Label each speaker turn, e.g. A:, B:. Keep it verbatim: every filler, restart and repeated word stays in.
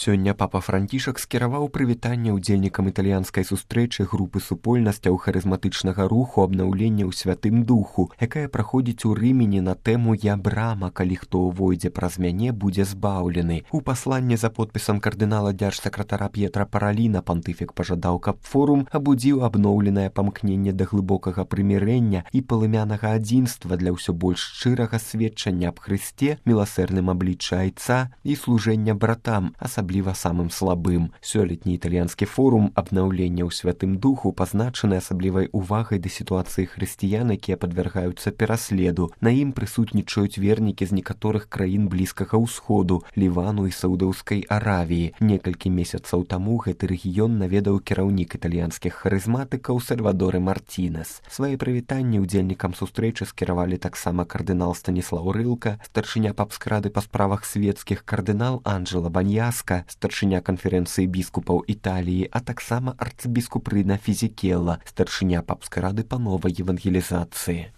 A: Сёння папа Францішак скіраваў прывітанне ўдзельнікам італьянскай сустрэчы групы супольнасцяў харызматычнага руху абнаўлення ў святым духу, якая праходзіць у Рымені на тэму «Я брама, калі хто ўвойдзе праз мяне, будзе збаўлены». У пасланні за подпісам кардынала дзяржсакратара П'етра Параліна пантыфік пажадаў, каб форум абудзіў абноўленае памкненне да глыбокага прымірэння і палымянага адзінства для ўсё больш шчырага сведчання аб Хрысце, міласэрным абліччы айца і служэння братам, асабліва самым слабым. Сёлетні італьянскі форум абнаўлення ў святым духу пазначаны асаблівай увагай да сітуацыі хрысціян, якія падвяргаюцца пераследу. На ім прысутнічаюць вернікі з некаторых краін блізкага ўсходу, Лівану і Саўдаўскай Аравіі. Некалькі месяцаў таму гэты рэгіён наведаў кіраўнік італьянскіх харызматыкаў Сальвадорэ Мартінес. Свае прывітанні ўдзельнікам сустрэчы скіравалі таксама кардынал Станіслаў Рылка, старшыня папскай рады па справах светскіх кардынал Анджела Баньяска, старшыня канферэнцыі біскупаў Італіі, а таксама арцыбіскуп Рына Фізікелла, старшыня папскай рады па новай евангелізацыі.